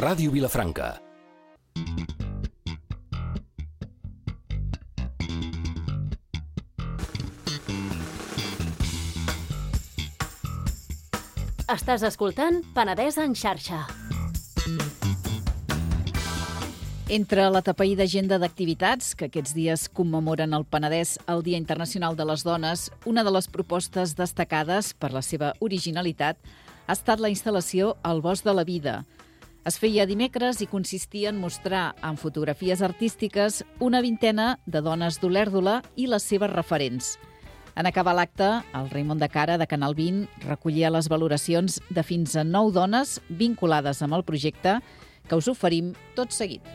Ràdio Vilafranca. Estàs escoltant Penedès en xarxa. Entre la tapaïda agenda d'activitats que aquests dies commemoren el Penedès el Dia Internacional de les Dones, una de les propostes destacades per la seva originalitat ha estat la instal·lació al Bosc de la Vida. Es feia dimecres i consistia en mostrar amb fotografies artístiques una vintena de dones d'Olèrdola i les seves referents. En acabar l'acte, el Raimon de Cara, de Canal 20, recollia les valoracions de fins a 9 dones vinculades amb el projecte que us oferim tot seguit.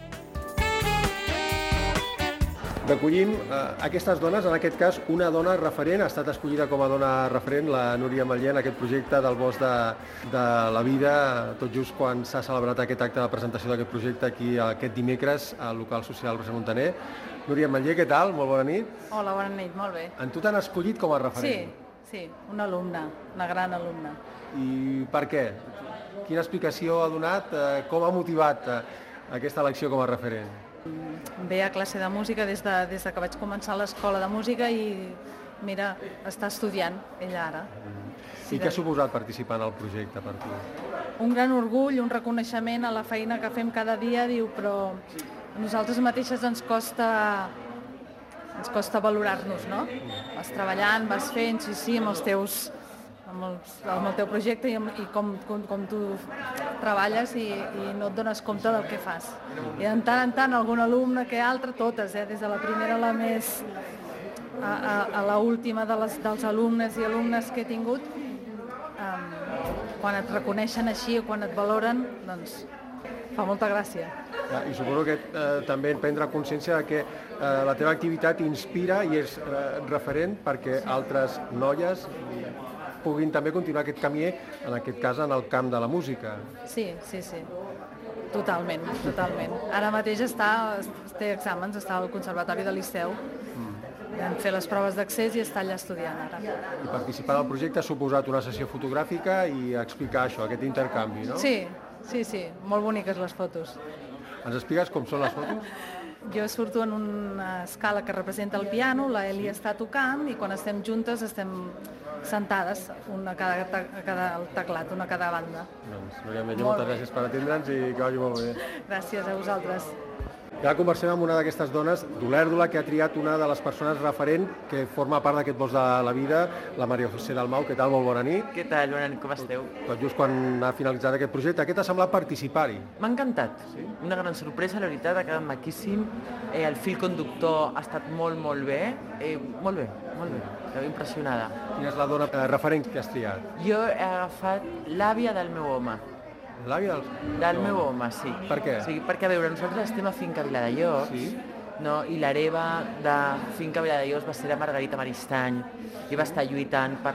Recollim aquestes dones, en aquest cas una dona referent, ha estat escollida com a dona referent, la Núria Ametller, en aquest projecte del Bosc de la Vida, tot just quan s'ha celebrat aquest acte de presentació d'aquest projecte aquí aquest dimecres al local social Roser Montaner. Núria Ametller, què tal? Molt bona nit. Hola, bona nit, molt bé. En tu t'han escollit com a referent? Sí, una alumna, una gran alumna. I per què? Quina explicació ha donat? Com ha motivat aquesta elecció com a referent? Ve a classe de música des de que vaig començar l'escola de música i, mira, està estudiant ella ara. I què ha suposat participar en el projecte per tu? Un gran orgull, un reconeixement a la feina que fem cada dia, diu, però a nosaltres mateixes ens costa valorar-nos, no? Vas treballant, vas fent, sí, amb els teus... amb el teu projecte i com tu treballes i no et dones compte del que fas. I de tant en tant algun alumne que altre, totes, des de la primera a la més a l'última dels alumnes i alumnes que he tingut, quan et reconeixen així o quan et valoren, doncs fa molta gràcia. I suposo que també prendre consciència que la teva activitat inspira i és referent perquè altres noies puguin també continuar aquest camí, en aquest cas en el camp de la música. Sí. Totalment. Ara mateix té exàmens, està al Conservatori de Liceu. Vam fer les proves d'accés i està allà estudiant ara. I participar del projecte ha suposat una sessió fotogràfica i explicar això, aquest intercanvi, no? Sí. Molt boniques les fotos. Ens expliques com són les fotos? Jo surto en una escala que representa el piano, la Eli està tocant i quan estem juntes estem sentades, una a cada teclat, una a cada banda. Doncs, Núria Ametller, moltes gràcies per atendre'ns i que vagi molt bé. Gràcies a vosaltres. I ara conversem amb una d'aquestes dones d'Olèrdola que ha triat una de les persones referent que forma part d'aquest Bosc de la Vida, la Maria José Dalmau. Què tal? Molt bona nit. Què tal? Bona nit, com esteu? Tot just quan ha finalitzat aquest projecte, què t'ha semblat participar-hi? M'ha encantat. Sí? Una gran sorpresa, la veritat, ha quedat maquíssim. El fil conductor ha estat molt bé. Molt bé. Estava impressionada. Quina és la dona referent que has triat? Jo he agafat l'àvia del meu home. L'àvia del meu home, sí. Per què? Sí, perquè, a veure, nosaltres estem a Finca Viladejós, sí? No? I l'hereva de Finca Viladejós va ser la Margarita Maristany i va estar lluitant per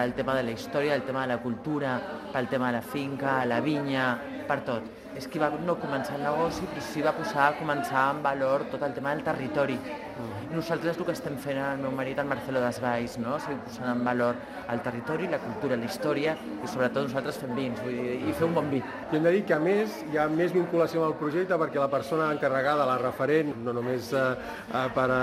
el tema de la història, el tema de la cultura, pel tema de la finca, la vinya, per tot. És que va no començar el negoci, però sí va començar en valor tot el tema del territori. I nosaltres el que estem fent, el meu marit, el Marcelo Desvalls, no? O sigui, posant en valor el territori, la cultura, la història i sobretot nosaltres fem vins, vull dir, i fer un bon vi. I hem de dir que a més hi ha més vinculació amb el projecte perquè la persona encarregada, la referent, no només per a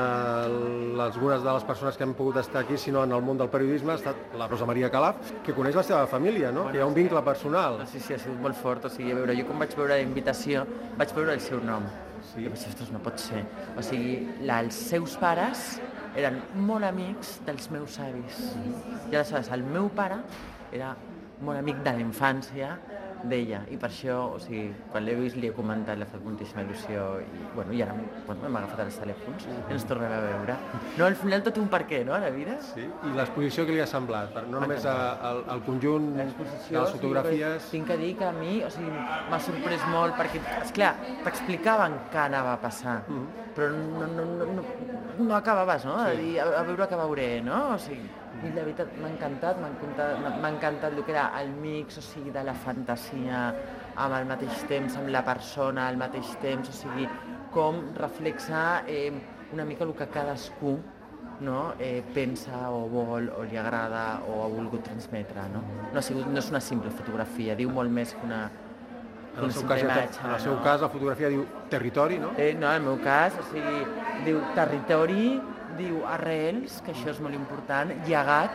algunes de les persones que han pogut estar aquí, sinó en el món del periodisme, ha estat la Rosa Maria Calaf, que coneix la seva família, no? Que hi ha un vincle personal. Sí, ha sigut molt fort. O sigui, a veure, jo quan vaig veure la invitació vaig veure el seu nom. Sí. I vaig dir, ostres, no pot ser. O sigui, els seus pares eren molt amics dels meus avis. I aleshores el meu pare era molt amic de la infància d'ella. I per això, o sigui, quan l'he vist li he comentat, l'ha fet moltíssima il·lusió i ara hem agafat els telèfons i ens tornem a veure. No, al final tot un per què, no, a la vida? Sí, i l'exposició que li ha semblat? No només el conjunt de les fotografies... Tinc que dir que a mi, o sigui, m'ha sorprès molt perquè, esclar, t'explicaven què anava a passar, però no acabaves, no? De dir, a veure què veuré, no? O sigui, i la veritat m'ha encantat el que era el mix, o sigui, de la fantasia amb el mateix temps, amb la persona al mateix temps, o sigui, com reflexa una mica el que cadascú pensa o vol o li agrada o ha volgut transmetre. No és una simple fotografia, diu molt més que En el seu cas, la fotografia diu territori, no? No, en el meu cas, o sigui, diu territori, diu arrels, que això és molt important, llegat,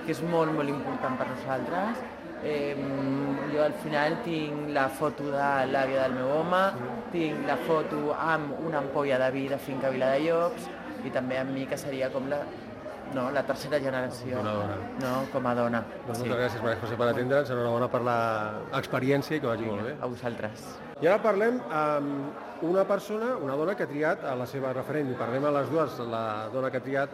que és molt, molt important per nosaltres. Jo al final tinc la foto de l'àvia del meu home, tinc la foto amb una ampolla de vi de Finca Viladellops i també amb mi, que seria com la tercera generació. Una dona. No, com a dona. Doncs moltes gràcies, Maria José, per atendre'ns. Enhorabona per l'experiència i que vagi molt bé. A vosaltres. I ara parlem amb una dona que ha triat a la seva referent. I parlem a les dues, la dona que ha triat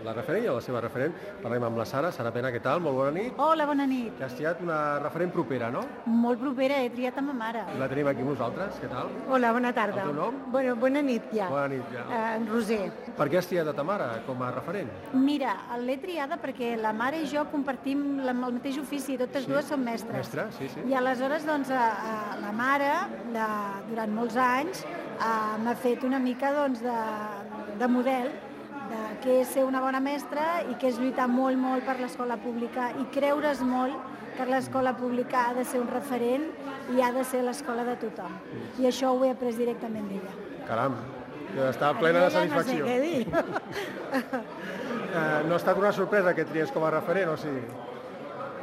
la referent i a la seva referent. Parlem amb la Sara. Sara Pena, què tal? Molt bona nit. Hola, bona nit. Que has triat una referent propera, no? Molt propera, he triat a ma mare. I la tenim aquí amb nosaltres. Què tal? Hola, bona tarda. El teu nom? Bueno, bona nit ja. Bona nit, ja. En Roser. Per què has triat a ta mare com a referent? Mira, l'he triada perquè la mare i jo compartim el mateix ofici, totes dues són mestres. Mestre, sí. I aleshores, doncs, la mare, durant molts anys, m'ha fet una mica de model de què és ser una bona mestra i què és lluitar molt, molt per l'escola pública i creure's molt que l'escola pública ha de ser un referent i ha de ser l'escola de tothom. I això ho he après directament d'ella. Caram, està plena de satisfacció. No sé què dir. No ha estat una sorpresa que tries com a referent, o sigui?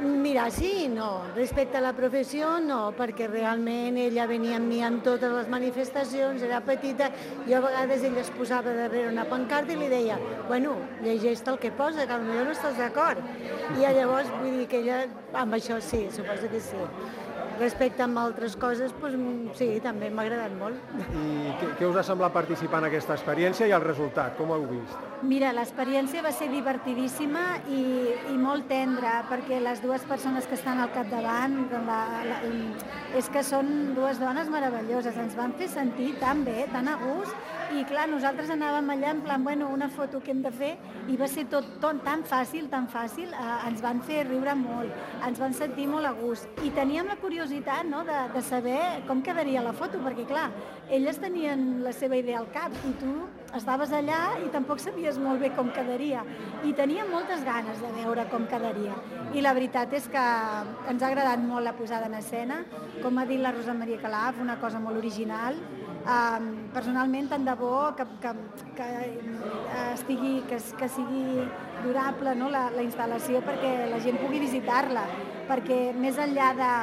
Mira, sí i no. Respecte a la professió, no, perquè realment ella venia amb mi en totes les manifestacions, era petita, i a vegades ella es posava darrere una pancarta i li deia, bueno, llegeix-te el que posa, que potser no estàs d'acord. I llavors vull dir que ella, amb això sí, suposo que sí. Respecte a altres coses, doncs, sí, també m'ha agradat molt. I què us ha semblat participar en aquesta experiència i el resultat? Com ho heu vist? Mira, l'experiència va ser divertidíssima i molt tendra, perquè les dues persones que estan al capdavant és que són dues dones meravelloses, ens van fer sentir tan bé, tan a gust, i clar, nosaltres anàvem allà en plan, bueno, una foto que hem de fer, i va ser tot tan fàcil, ens van fer riure molt, ens van sentir molt a gust, i teníem la curiositat, no?, de saber com quedaria la foto, perquè clar, elles tenien la seva idea al cap, i tu estaves allà i tampoc sabies molt bé com quedaria, i teníem moltes ganes de veure com quedaria, i la veritat és que ens ha agradat molt la posada en escena, com ha dit la Rosa Maria Calaf, una cosa molt original. Personalment, tant de bo que sigui durable, no, la instal·lació, perquè la gent pugui visitar-la, perquè més enllà de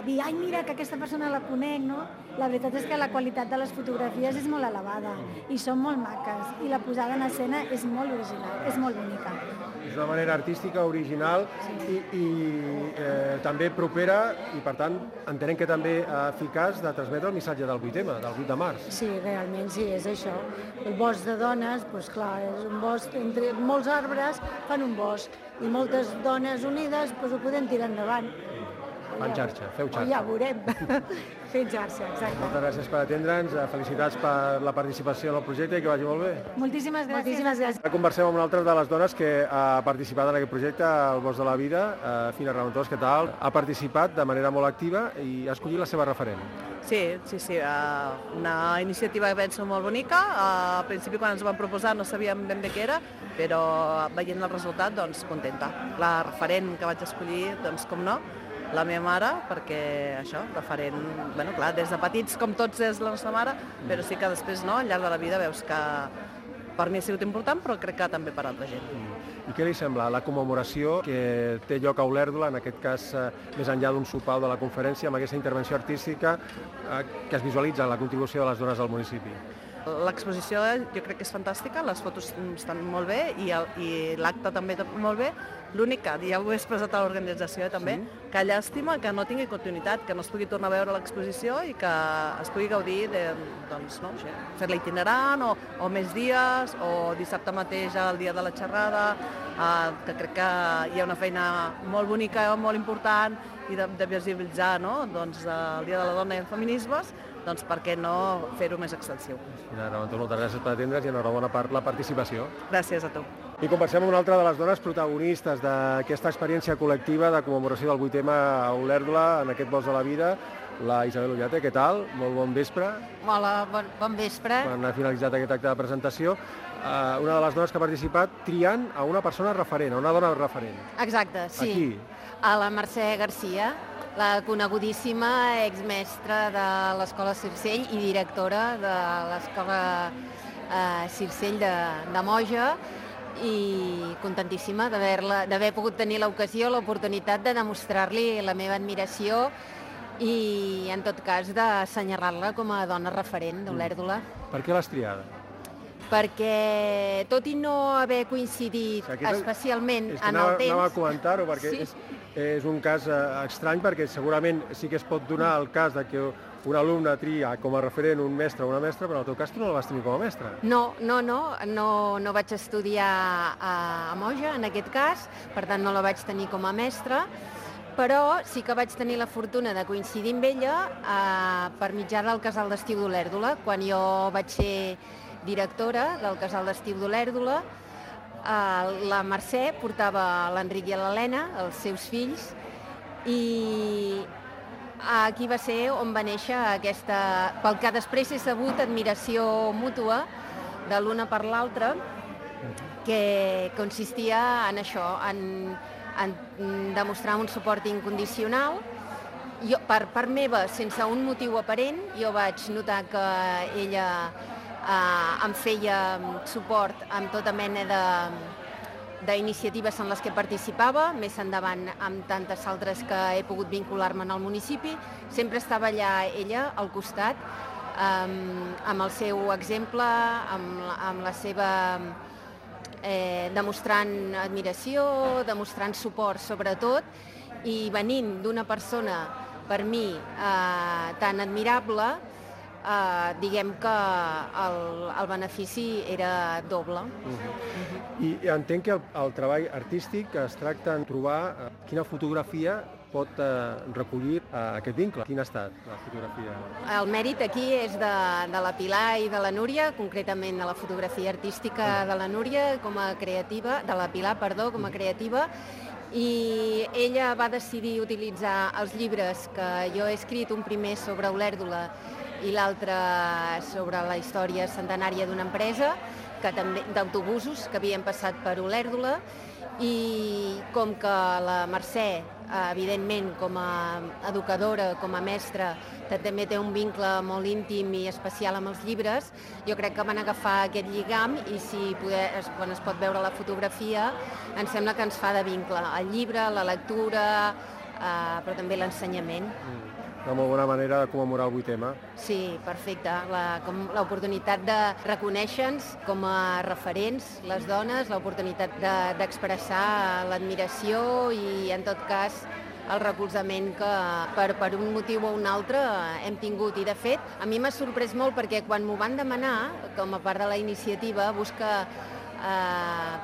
dir, ai, mira, que aquesta persona la conec, no? La veritat és que la qualitat de les fotografies és molt elevada i són molt maques, i la posada en escena és molt original, és molt bonica. És una manera artística, original i també propera i, per tant, entenem que també eficaç de transmetre el missatge del 8M, del 8 de març. Sí, realment, sí, és això. El bosc de dones, doncs clar, és un bosc, entre molts arbres fan un bosc, i moltes dones unides doncs ho podem tirar endavant. Fan xarxa, feu xarxa. Ja ho veurem. Fent xarxa, exacte. Moltes gràcies per atendre'ns, felicitats per la participació en el projecte i que vagi molt bé. Moltíssimes gràcies. Moltíssimes gràcies. Ara conversem amb una altra de les dones que ha participat en aquest projecte, el Bosc de la Vida, Fina Reventós, què tal? Ha participat de manera molt activa i ha escollit la seva referent. Sí, una iniciativa que penso molt bonica. Al principi, quan ens ho van proposar, no sabíem ben bé què era, però veient el resultat, doncs, contenta. La referent que vaig escollir, doncs, com no, la meva mare, perquè això, referent, bueno, clar, des de petits com tots és la nostra mare, però sí que després, no, al llarg de la vida veus que per mi ha sigut important, però crec que també per altra gent. I què li sembla la commemoració que té lloc a Olèrdola, en aquest cas més enllà d'un sopar de la conferència, amb aquesta intervenció artística que es visualitza en la contribució de les dones al municipi? L'exposició jo crec que és fantàstica, les fotos estan molt bé i l'acte també molt bé. L'únic que ja ho he expressat a l'organització també, que llàstima que no tingui continuïtat, que no es pugui tornar a veure l'exposició i que es pugui gaudir de, doncs, no, fer-la itinerant o més dies, o dissabte mateix el dia de la xerrada, que crec que hi ha una feina molt bonica, molt important i de visibilitzar, no? Doncs, el Dia de la Dona i els feminismes, doncs per què no fer-ho més extensiu. Moltes gràcies per atendre's i enhorabona per la participació. Gràcies a tu. I conversem amb una altra de les dones protagonistes d'aquesta experiència col·lectiva de commemoració del 8M a Olèrdola, en aquest Bosc de la Vida, la Isabel Ullate. Què tal? Molt bon vespre. Hola, bon vespre. Quan ha finalitzat aquest acte de presentació, una de les dones que ha participat triant a una persona referent, a una dona referent. Exacte, sí. Aquí? A la Mercè Garcia. la conegudíssima exmestra de l'Escola Circell i directora de l'Escola Circell de Moja, i contentíssima d'haver pogut tenir l'ocasió, l'oportunitat de demostrar-li la meva admiració i, en tot cas, d'assenyalar-la com a dona referent d'Olèrdola. Per què l'has triada? Perquè, tot i no haver coincidit especialment en el temps... Anava a comentar-ho, perquè és un cas estrany, perquè segurament sí que es pot donar el cas de que un alumne tria com a referent un mestre o una mestra, però en el teu cas tu no la vas tenir com a mestra. No vaig estudiar a Moja, en aquest cas, per tant no la vaig tenir com a mestra, però sí que vaig tenir la fortuna de coincidir amb ella per mitjà del Casal d'Estiu d'Olèrdola. Quan jo vaig ser directora del Casal d'Estiu d'Olèrdola, la Mercè portava l'Enric i l'Helena, els seus fills, i aquí va ser on va néixer aquesta, pel que després he sabut, admiració mútua de l'una per l'altra, que consistia en això, en demostrar un suport incondicional. Jo, per part meva, sense un motiu aparent, jo vaig notar que ella em feia suport amb tota mena d'iniciatives en les que participava, més endavant amb tantes altres que he pogut vincular-me en el municipi. Sempre estava allà ella, al costat, amb el seu exemple, amb la seva... demostrant admiració, demostrant suport sobretot, i venint d'una persona, per mi, tan admirable, diguem que el benefici era doble. I entenc que el treball artístic es tracta de trobar quina fotografia pot recollir aquest vincle. Quin ha estat la fotografia? El mèrit aquí és de la Pilar i de la Núria, concretament de la fotografia artística de la Núria com a creativa, de la Pilar, perdó, com a creativa, i ella va decidir utilitzar els llibres que jo he escrit, un primer sobre Olèrdola i l'altre sobre la història centenària d'una empresa, d'autobusos que havien passat per Olèrdola, i com que la Mercè, evidentment, com a educadora, com a mestra, també té un vincle molt íntim i especial amb els llibres, jo crec que van agafar aquest lligam i quan es pot veure la fotografia, em sembla que ens fa de vincle. El llibre, la lectura, però també l'ensenyament. Una molt bona manera de commemorar el 8M. Sí, perfecte. L'oportunitat de reconèixer-nos com a referents, les dones, l'oportunitat d'expressar l'admiració i, en tot cas, el recolzament que per un motiu o un altre hem tingut. I, de fet, a mi m'ha sorprès molt perquè quan m'ho van demanar, com a part de la iniciativa, busca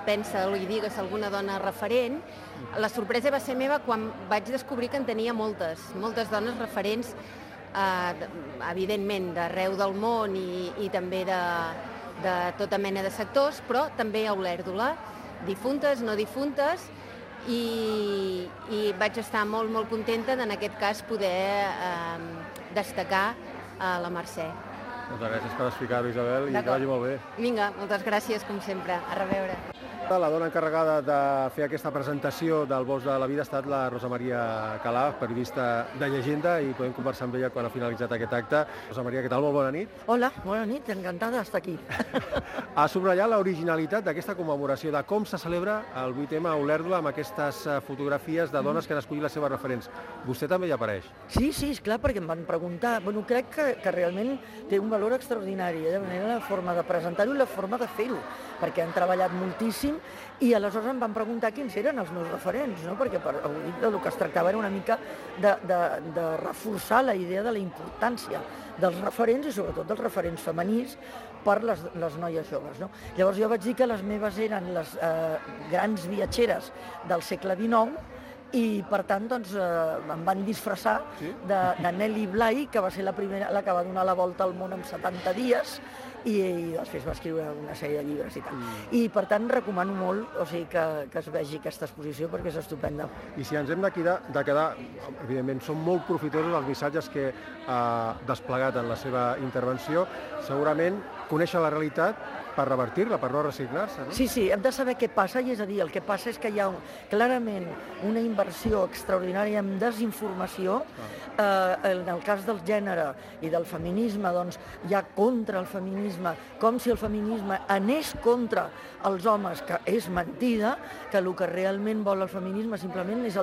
pensa-ho i digues alguna dona referent, la sorpresa va ser meva quan vaig descobrir que en tenia moltes dones referents, evidentment d'arreu del món i també de tota mena de sectors, però també a Olèrdola, difuntes, no difuntes, i vaig estar molt, molt contenta en aquest cas poder destacar la Mercè. Moltes gràcies per explicar-ho, Isabel, i que vagi molt bé. Vinga, moltes gràcies, com sempre. A reveure. La dona encarregada de fer aquesta presentació del Bosc de la Vida ha estat la Rosa Maria Calà, periodista de Llegenda, i podem conversar amb ella quan ha finalitzat aquest acte. Rosa Maria, què tal? Molt bona nit. Hola, bona nit, encantada d'estar aquí. Ha subratllat l'originalitat d'aquesta commemoració, de com se celebra el 8M a Olèrdola amb aquestes fotografies de dones que han escollit les seves referents. Vostè també hi apareix? Sí, esclar, perquè em van preguntar. Bueno, crec que realment té un valor extraordinari, de manera la forma de presentar-ho i la forma de fer-ho, perquè han treballat moltíssim i aleshores em van preguntar quins eren els meus referents, no? Perquè el que es tractava era una mica de reforçar la idea de la importància dels referents i sobretot dels referents femenins per les noies joves, no? Llavors jo vaig dir que les meves eren les grans viatgeres del segle XIX i, per tant, doncs, em van disfressar de Nelly Bly, que va ser la primera, la que va donar la volta al món en 70 dies, i després va escriure una sèrie de llibres i tal. I, per tant, recomano molt que es vegi aquesta exposició perquè és estupenda. I si ens hem de quedar, evidentment, són molt profitosos els missatges que ha desplegat en la seva intervenció. Segurament conèixer la realitat per revertir-la, per no resignar-se, no? Sí, hem de saber què passa, i és a dir, el que passa és que hi ha clarament una inversió extraordinària en desinformació. En el cas del gènere i del feminisme, doncs, hi ha contra el feminisme, com si el feminisme anés contra els homes, que és mentida, que el que realment vol el feminisme simplement és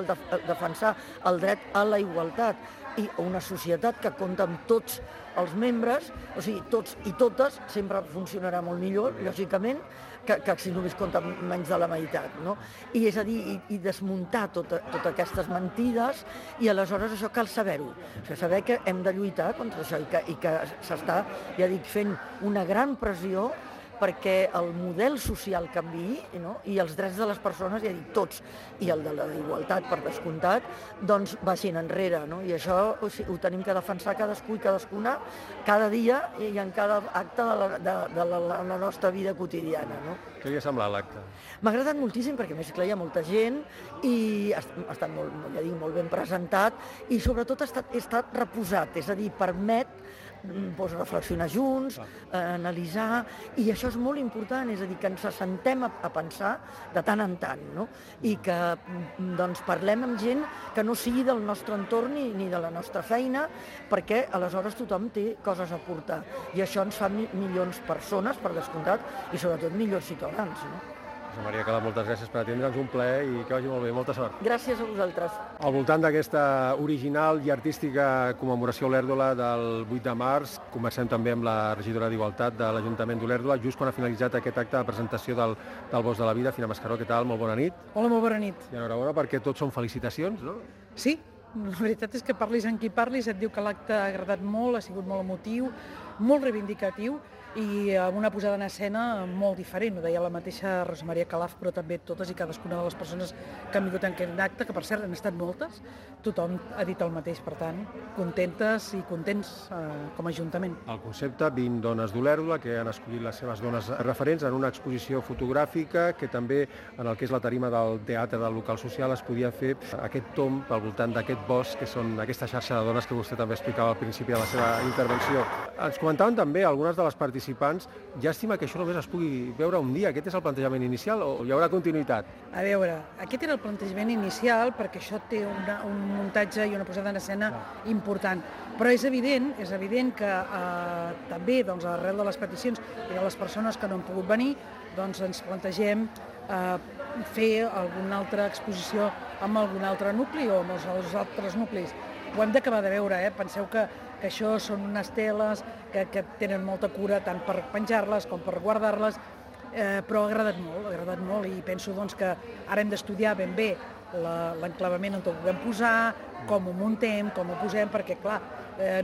defensar el dret a la igualtat, i una societat que compta amb tots els membres, o sigui, tots i totes, sempre funcionarà molt millor, lògicament, que si només compta menys de la meitat, no? I és a dir, i desmuntar totes aquestes mentides, i aleshores això cal saber-ho. O sigui, saber que hem de lluitar contra això i que s'està, ja dic, fent una gran pressió perquè el model social canviï, no? I els drets de les persones, ja dic, tots, i el de la igualtat, per descomptat, doncs vagin enrere, no? I això ho tenim que defensar cadascú i cadascuna cada dia i en cada acte de la nostra vida quotidiana, no? Què li ha semblat l'acte? M'ha agradat moltíssim perquè, a més, clar, hi ha molta gent i ha estat molt ben presentat i sobretot ha estat reposat, és a dir, permet reflexionar junts, analitzar, i això és molt important, és a dir, que ens assentem a pensar de tant en tant, no? I que doncs, parlem amb gent que no sigui del nostre entorn ni de la nostra feina, perquè aleshores tothom té coses a aportar. I això ens fa millors persones, per descomptat, i sobretot millors ciutadans, no? Rosa Maria Calaf, moltes gràcies per atendre'ns, un plaer i que vagi molt bé, molta sort. Gràcies a vosaltres. Al voltant d'aquesta original i artística commemoració Olèrdola del 8 de març, comencem també amb la regidora d'Igualtat de l'Ajuntament d'Olèrdola, just quan ha finalitzat aquest acte de presentació del Bosc de la Vida. Fina Mascaró, què tal? Molt bona nit. Hola, molt bona nit. I enhorabona perquè tots són felicitacions, no? Sí, la veritat és que parlis amb qui parlis, et diu que l'acte ha agradat molt, ha sigut molt emotiu, molt reivindicatiu, i amb una posada en escena molt diferent, ho deia la mateixa Rosa Maria Calaf, però també totes i cadascuna de les persones que han vingut en aquest acte, que per cert han estat moltes, tothom ha dit el mateix, per tant, contentes i contents com a Ajuntament. El concepte 20 dones d'Olèrdola, que han escollit les seves dones referents en una exposició fotogràfica que també en el que és la tarima del teatre del local social es podia fer aquest tomb al voltant d'aquest bosc, que són aquesta xarxa de dones que vostè també explicava al principi de la seva intervenció. Ens comentaven també algunes de les participants, llàstima que això només es pugui veure un dia. Aquest és el plantejament inicial o hi haurà continuïtat? A veure, aquest era el plantejament inicial perquè això té un muntatge i una posada en escena important. Però és evident que també doncs, arrel de les peticions i de les persones que no han pogut venir, doncs ens plantegem fer alguna altra exposició amb algun altre nucli o amb els altres nuclis. Ho hem d'acabar de veure, Penseu que això són unes teles que tenen molta cura tant per penjar-les com per guardar-les, però ha agradat molt i penso doncs, que ara hem d'estudiar ben bé l'enclavament on ho podem posar, com ho muntem, com ho posem, perquè clar,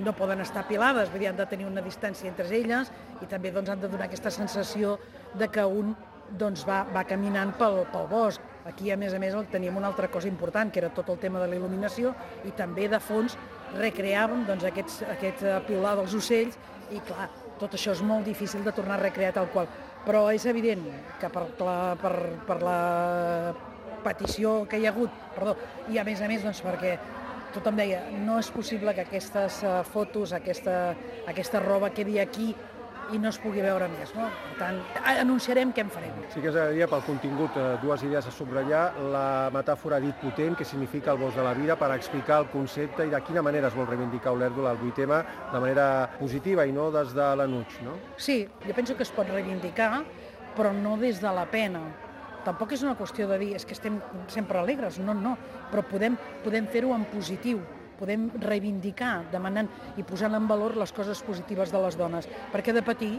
no poden estar apilades, vull dir, han de tenir una distància entre elles i també doncs, han de donar aquesta sensació de que un doncs, va caminant pel bosc. Aquí, a més, teníem una altra cosa important, que era tot el tema de la il·luminació, i també, de fons, recreàvem doncs, aquest piular dels ocells, i clar, tot això és molt difícil de tornar a recrear tal qual. Però és evident que per la petició que hi ha hagut, i a més, doncs, perquè tothom deia, no és possible que aquestes fotos, aquesta roba quedi aquí i no es pugui veure més, no? Per tant, anunciarem què en farem. Sí que ens agradaria, pel contingut, dues idees a subratllar. La metàfora dit potent, que significa el bosc de la vida, per explicar el concepte i de quina manera es vol reivindicar Olèrdola, el 8M, de manera positiva i no des de l'enuig, no? Sí, jo penso que es pot reivindicar, però no des de la pena. Tampoc és una qüestió de dir, és que estem sempre alegres, no, però podem fer-ho en positiu. Podem reivindicar, demanant i posant en valor les coses positives de les dones. Perquè de patir,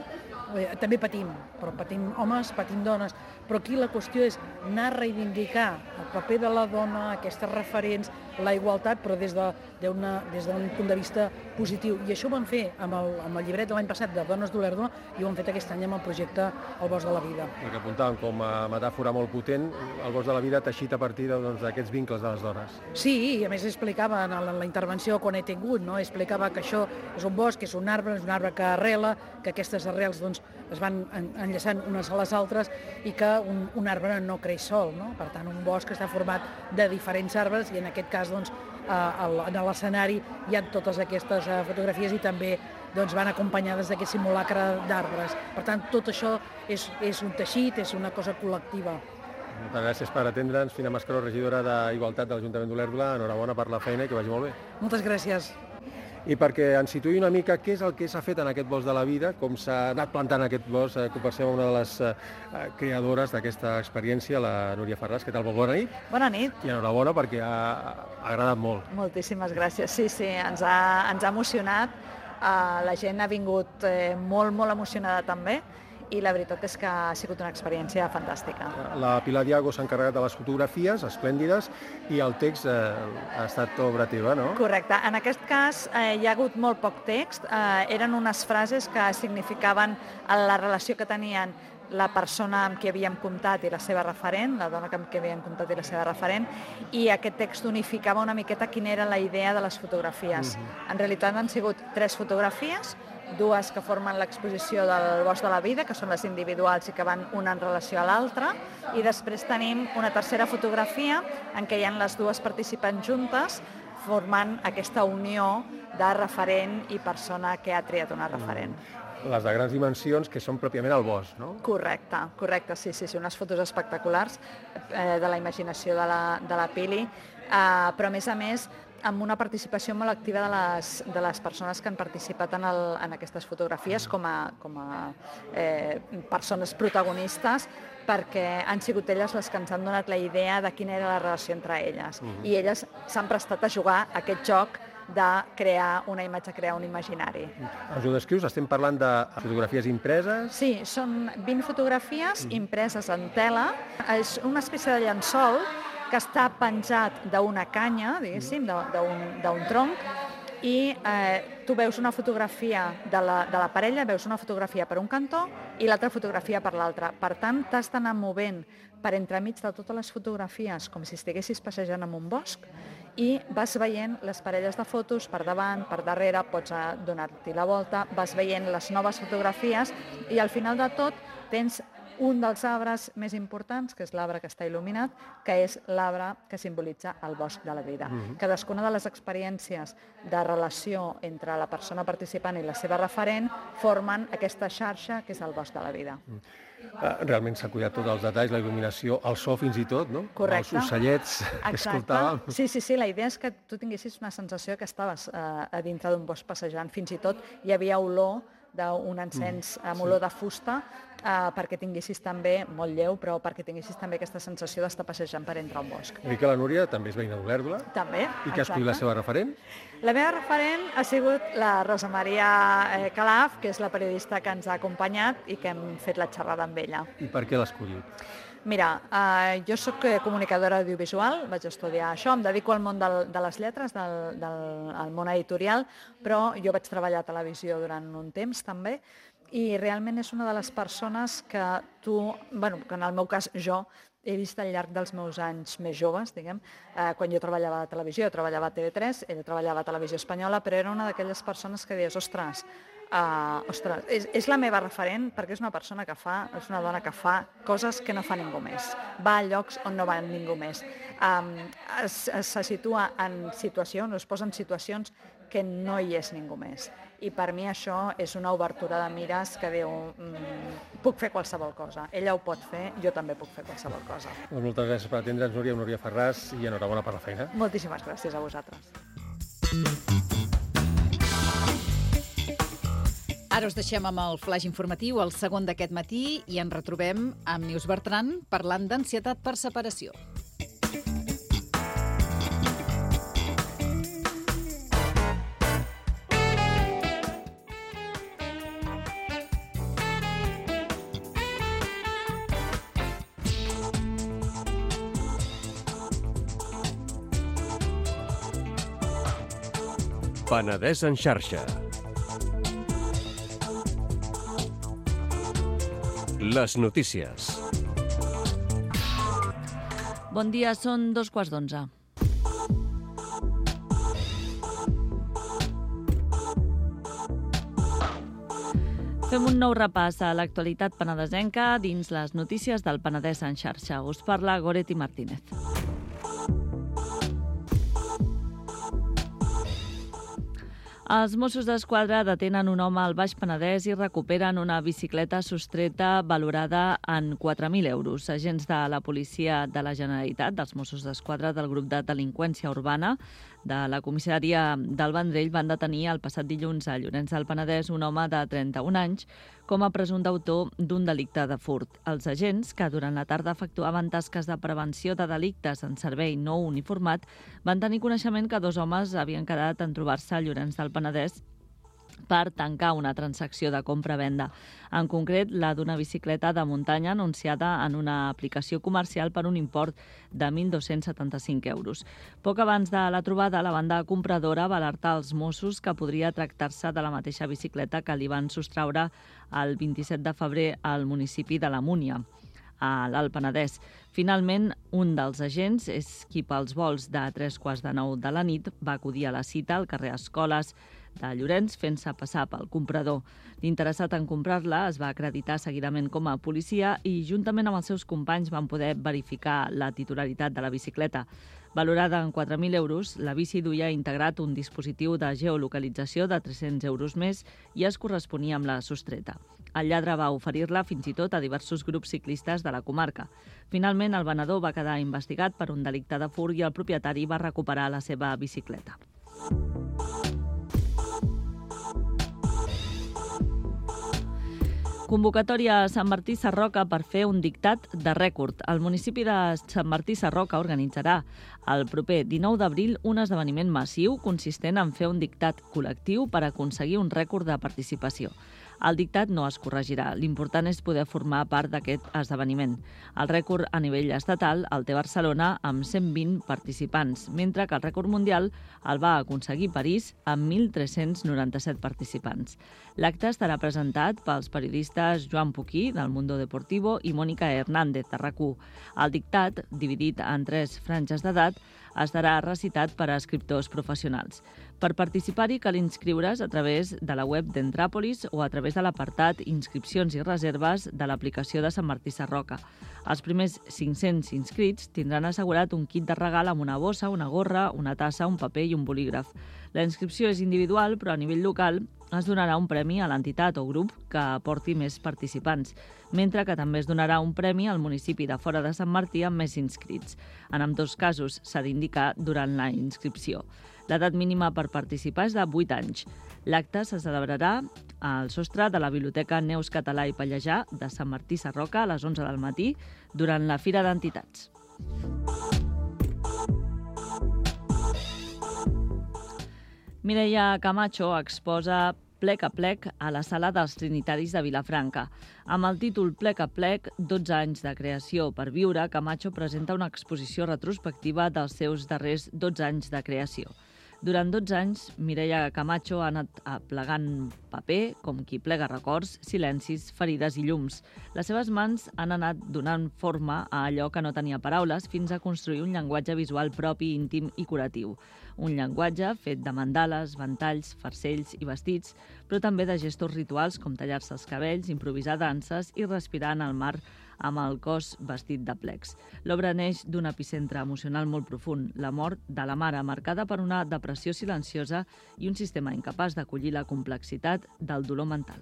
també patim, però patim homes, patim dones, però aquí la qüestió és anar a reivindicar el paper de la dona, aquestes referents, la igualtat, però des d'un punt de vista positiu. I això ho vam fer amb el llibret de l'any passat de Dones d'Olèrdola i ho hem fet aquest any amb el projecte El Bosc de la Vida. El que apuntàvem com a metàfora molt potent, el Bosc de la Vida teixit a partir d'aquests vincles de les dones. Sí, i a més explicava en la intervenció quan he tingut, no? Explicava que això és un bosc, és un arbre que arrela, que aquestes arrels doncs, es van enllaçant unes a les altres i que un arbre no creix sol, no? Per tant, un bosc està format de diferents arbres i en aquest cas doncs, en l'escenari hi ha totes aquestes fotografies i també doncs van acompanyades d'aquest simulacre d'arbres. Per tant, tot això és un teixit, és una cosa col·lectiva. Moltes gràcies per atendre'ns. Fina Mascaró, regidora d'Igualtat de l'Ajuntament d'Olèrdola. Enhorabona per la feina i que vagi molt bé. Moltes gràcies. I perquè ens situï una mica què és el que s'ha fet en aquest bosc de la vida, com s'ha anat plantant aquest bosc, conversem amb una de les creadores d'aquesta experiència, la Núria Farràs. Què tal? Bona nit. Bona nit. I enhorabona perquè ha agradat molt. Moltíssimes gràcies. Sí, ens ha emocionat. La gent ha vingut molt emocionada també, i la veritat és que ha sigut una experiència fantàstica. La Pilar Diago s'ha encarregat de les fotografies, esplèndides, i el text ha estat obra teva, no? Correcte. En aquest cas hi ha hagut molt poc text. Eren unes frases que significaven la relació que tenien la persona amb qui havíem comptat i la seva referent, la dona amb qui havíem comptat i la seva referent, i aquest text unificava una miqueta quina era la idea de les fotografies. En realitat han sigut 3 fotografies, 2 que formen l'exposició del Bosc de la Vida, que són les individuals i que van una en relació a l'altra, i després tenim una tercera fotografia en què hi ha les 2 participants juntes formant aquesta unió de referent i persona que ha triat una referent. Les de grans dimensions, que són pròpiament al bosc, no? Correcte, sí, unes fotos espectaculars de la imaginació de la Pili, però a més amb una participació molt activa de les persones que han participat en aquestes fotografies com a persones protagonistes, perquè han sigut elles les que ens han donat la idea de quina era la relació entre elles. I elles s'han prestat a jugar a aquest joc de crear una imatge, crear un imaginari. Ens ho descrius? Estem parlant de fotografies impreses? Sí, són 20 fotografies impreses en tela. És una espècie de llençol que està penjat d'una canya, diguéssim, d'un tronc, i tu veus una fotografia de la parella, veus una fotografia per un cantó i l'altra fotografia per l'altre. Per tant, t'has d'anar movent per entremig de totes les fotografies com si estiguessis passejant en un bosc i vas veient les parelles de fotos per davant, per darrere, pots donar-t'hi la volta, vas veient les noves fotografies i al final de tot tens un dels arbres més importants, que és l'arbre que està il·luminat, que és l'arbre que simbolitza el bosc de la vida. Cadascuna de les experiències de relació entre la persona participant i la seva referent formen aquesta xarxa que és el bosc de la vida. Realment s'ha cuidat tots els detalls, la il·luminació, el so fins i tot, no? Correcte. Els ocellets que escoltàvem. Sí, la idea és que tu tinguessis una sensació que estaves a dintre d'un bosc passejant. Fins i tot hi havia olor d'un encens amb olor de fusta perquè tinguessis també, molt lleu, però perquè tinguessis també aquesta sensació d'estar passejant per entre un bosc. I que la Núria també és veïna d'Olèrdola. També, I que ha escollit la seva referent? La meva referent ha sigut la Rosa Maria Calaf, que és la periodista que ens ha acompanyat i que hem fet la xerrada amb ella. I per què l'ha escollit? Mira, jo soc comunicadora audiovisual, vaig estudiar això, em dedico al món de les lletres, al món editorial, però jo vaig treballar a televisió durant un temps també, i realment és una de les persones que que en el meu cas jo, he vist al llarg dels meus anys més joves, diguem, quan jo treballava a televisió, jo treballava a TV3, ella treballava a Televisió Espanyola, però era una d'aquelles persones que deies, ostres, és la meva referent perquè és una persona que és una dona que fa coses que no fa ningú més. Va a llocs on no va ningú més. Se situa en situacions, es posa en situacions que no hi és ningú més. I per mi això és una obertura de mires que diu, puc fer qualsevol cosa. Ella ho pot fer, jo també puc fer qualsevol cosa. Moltes gràcies per atendre'ns, Núria Farràs, i enhorabona per la feina. Moltíssimes gràcies a vosaltres. Ara us deixem amb el flaix informatiu, el segon d'aquest matí, i ens retrobem amb Neus Bertran parlant d'ansietat per separació. Penedès en xarxa. Les notícies. Bon dia, són 11:15. Fem un nou repàs a l'actualitat penedesenca dins les notícies del Penedès en xarxa. Us parla Goretti Martínez. Els Mossos d'Esquadra detenen un home al Baix Penedès i recuperen una bicicleta sostreta valorada en 4.000 euros. Agents de la Policia de la Generalitat, dels Mossos d'Esquadra del grup de delinqüència urbana de la comissària del Vendrell van detenir el passat dilluns a Llorenç del Penedès un home de 31 anys com a presumpte autor d'un delicte de furt. Els agents, que durant la tarda efectuaven tasques de prevenció de delictes en servei no uniformat, van tenir coneixement que 2 homes havien quedat en trobar-se a Llorenç del Penedès per tancar una transacció de compra-venda. En concret, la d'una bicicleta de muntanya anunciada en una aplicació comercial per un import de 1.275 euros. Poc abans de la trobada, la banda compradora va alertar als Mossos que podria tractar-se de la mateixa bicicleta que li van sostraure el 27 de febrer al municipi de la Múnia, a l'Alt Penedès. Finalment, un dels agents és qui pels vols de 8:45 de la nit va acudir a la cita al carrer Escoles de Llorenç fent-se passar pel comprador. L'interessat en comprar-la es va acreditar seguidament com a policia i juntament amb els seus companys van poder verificar la titularitat de la bicicleta. Valorada en 4.000 euros, la bici duia integrat un dispositiu de geolocalització de 300 euros més i es corresponia amb la sostreta. El lladre va oferir-la fins i tot a diversos grups ciclistes de la comarca. Finalment, el venedor va quedar investigat per un delicte de furt i el propietari va recuperar la seva bicicleta. Convocatòria a Sant Martí Sarroca per fer un dictat de rècord. El municipi de Sant Martí Sarroca organitzarà el proper 19 d'abril un esdeveniment massiu consistent en fer un dictat col·lectiu per aconseguir un rècord de participació. El dictat no es corregirà. L'important és poder formar part d'aquest esdeveniment. El rècord a nivell estatal el té Barcelona amb 120 participants, mentre que el rècord mundial el va aconseguir París amb 1.397 participants. L'acte estarà presentat pels periodistes Joan Puquí, del Mundo Deportivo, i Mònica Hernández, de RAC1. El dictat, dividit en 3 franges d'edat, estarà recitat per a escriptors professionals. Per participar-hi cal inscriure's a través de la web d'Entràpolis o a través de l'apartat Inscripcions i reserves de l'aplicació de Sant Martí Sarroca. Els primers 500 inscrits tindran assegurat un kit de regal amb una bossa, una gorra, una tassa, un paper i un bolígraf. La inscripció és individual, però a nivell local es donarà un premi a l'entitat o grup que aporti més participants, mentre que també es donarà un premi al municipi de fora de Sant Martí amb més inscrits. En ambdós casos s'ha d'indicar durant la inscripció. L'edat mínima per participar és de 8 anys. L'acte se celebrarà al sostre de la Biblioteca Neus Català i Pallejà de Sant Martí Sarroca a les 11 del matí durant la Fira d'Entitats. Mireia Camacho exposa Plec a Plec a la Sala dels Trinitaris de Vilafranca. Amb el títol Plec a Plec, 12 anys de creació per viure, Camacho presenta una exposició retrospectiva dels seus darrers 12 anys de creació. Durant 12 anys, Mireia Camacho ha anat plegant paper, com qui plega records, silencis, ferides i llums. Les seves mans han anat donant forma a allò que no tenia paraules fins a construir un llenguatge visual propi, íntim i curatiu. Un llenguatge fet de mandales, ventalls, farcells i vestits, però també de gestos rituals com tallar-se els cabells, improvisar danses i respirar en el mar amb el cos vestit de plecs. L'obra neix d'un epicentre emocional molt profund, la mort de la mare, marcada per una depressió silenciosa i un sistema incapaç d'acollir la complexitat del dolor mental.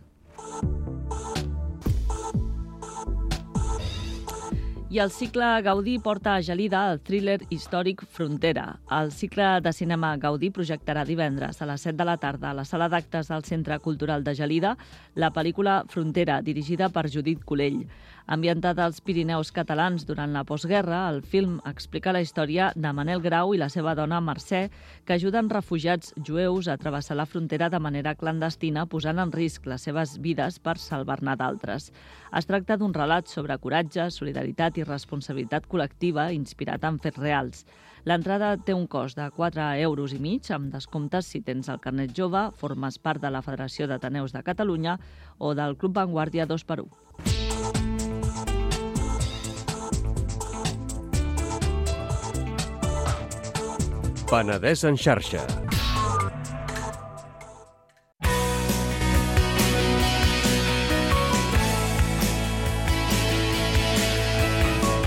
I el cicle Gaudí porta a Gelida el thriller històric Frontera. El cicle de cinema Gaudí projectarà divendres a les 7 de la tarda a la sala d'actes del Centre Cultural de Gelida la pel·lícula Frontera, dirigida per Judit Colell. Ambientada als Pirineus catalans durant la postguerra, el film explica la història de Manel Grau i la seva dona Mercè, que ajuden refugiats jueus a travessar la frontera de manera clandestina, posant en risc les seves vides per salvar-ne d'altres. Es tracta d'un relat sobre coratge, solidaritat i responsabilitat col·lectiva inspirat en fets reals. L'entrada té un cost de 4,5 euros amb descomptes si tens el carnet jove, formes part de la Federació d'Ateneus de Catalunya o del Club Vanguardia 2x1. Penedès en xarxa.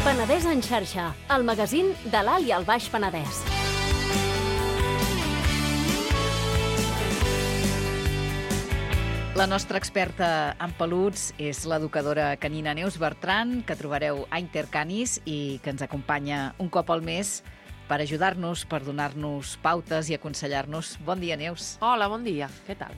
Penedès en xarxa, el magazín de l'Alt i el Baix Penedès. La nostra experta en peluts és l'educadora canina Neus Bertran, que trobareu a Intercanis i que ens acompanya un cop al mes per ajudar-nos, per donar-nos pautes i aconsellar-nos. Bon dia, Neus. Hola, bon dia. Què tal?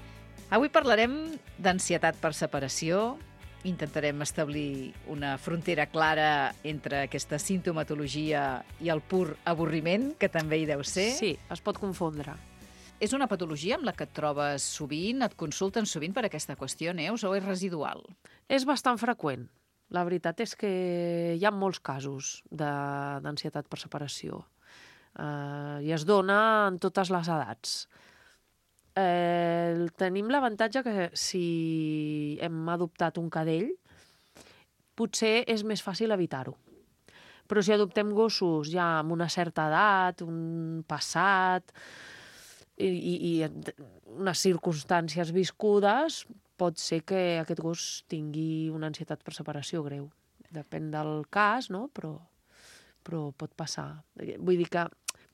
Avui parlarem d'ansietat per separació. Intentarem establir una frontera clara entre aquesta sintomatologia i el pur avorriment, que també hi deu ser. Sí, es pot confondre. És una patologia amb la que et trobes sovint, et consulten sovint per aquesta qüestió, Neus, o és residual? És bastant freqüent. La veritat és que hi ha molts casos d'ansietat per separació i es dona en totes les edats. Tenim l'avantatge que si hem adoptat un cadell, potser és més fàcil evitar-ho. Però si adoptem gossos ja amb una certa edat, un passat i unes circumstàncies viscudes, pot ser que aquest gos tingui una ansietat per separació greu. Depèn del cas, no? Però pot passar. Vull dir que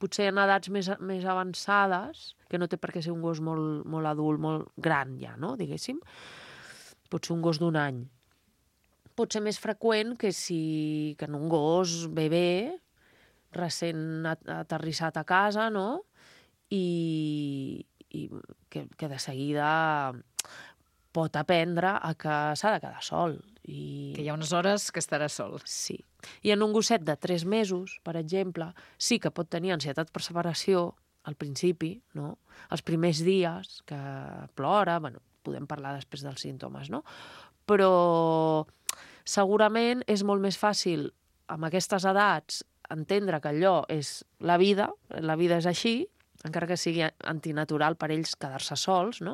potser en edats més avançades, que no té per què ser un gos molt adult, molt gran ja, no? Diguéssim. Pot ser un gos d'1 any. Pot ser més freqüent que en un gos bebè, recent aterrissat a casa, no? I que de seguida pot aprendre a que s'ha de quedar sol. Que hi ha unes hores que estarà sol. Sí. I en un gosset de 3 mesos, per exemple, sí que pot tenir ansietat per separació al principi, no? Els primers dies, que plora, bueno, podem parlar després dels símptomes, no? Però segurament és molt més fàcil, amb aquestes edats, entendre que allò és la vida és així, encara que sigui antinatural per ells quedar-se sols, no?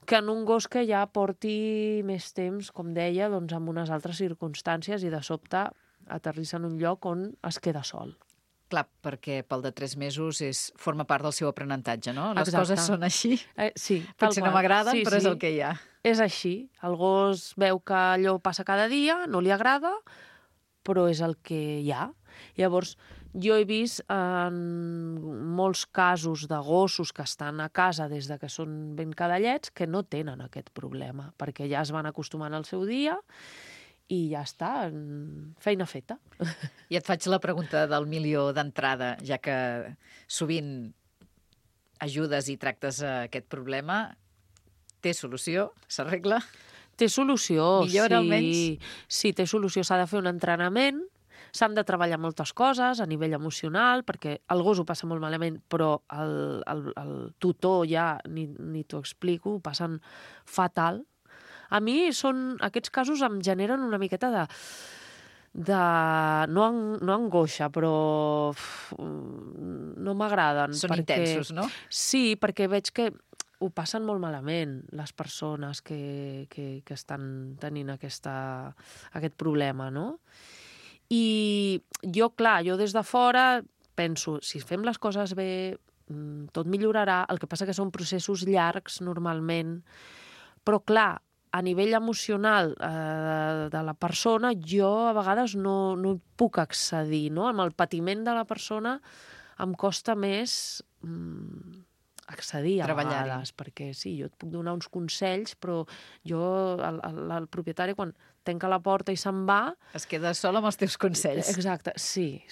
Que en un gos que ja porti més temps, com deia, doncs amb unes altres circumstàncies i de sobte aterrissa en un lloc on es queda sol. Clar, perquè pel de 3 mesos forma part del seu aprenentatge, no? Les Exacte. coses són així. Sí, potser no m'agraden, però és el que hi ha. És així. El gos veu que allò passa cada dia, no li agrada, però és el que hi ha. Llavors, jo he vist en molts casos de gossos que estan a casa des de que són ben cadellets que no tenen aquest problema, perquè ja es van acostumant al seu dia i ja està, feina feta. I et faig la pregunta del milió d'entrada, ja que sovint ajudes i tractes aquest problema. Té solució? S'arregla? Té solució, Millora, sí. almenys? Sí, té solució. S'ha de fer un entrenament, s'han de treballar moltes coses a nivell emocional, perquè el gos ho passa molt malament, però el tutor ja, ni t'ho explico, ho passen fatal. A mi aquests casos em generen una miqueta no angoixa, però no m'agraden. Són intensos, no? Sí, perquè veig que ho passen molt malament les persones que estan tenint aquest problema, no? I jo des de fora penso, si fem les coses bé, tot millorarà. El que passa que són processos llargs normalment, però clar, a nivell emocional de la persona, jo a vegades no hi puc accedir, no? Amb el patiment de la persona em costa més accedir a vegades, perquè sí, jo et puc donar uns consells, però el propietari, quan tanca la porta i se'n va... Es queda sol amb els teus consells. Exacte, sí.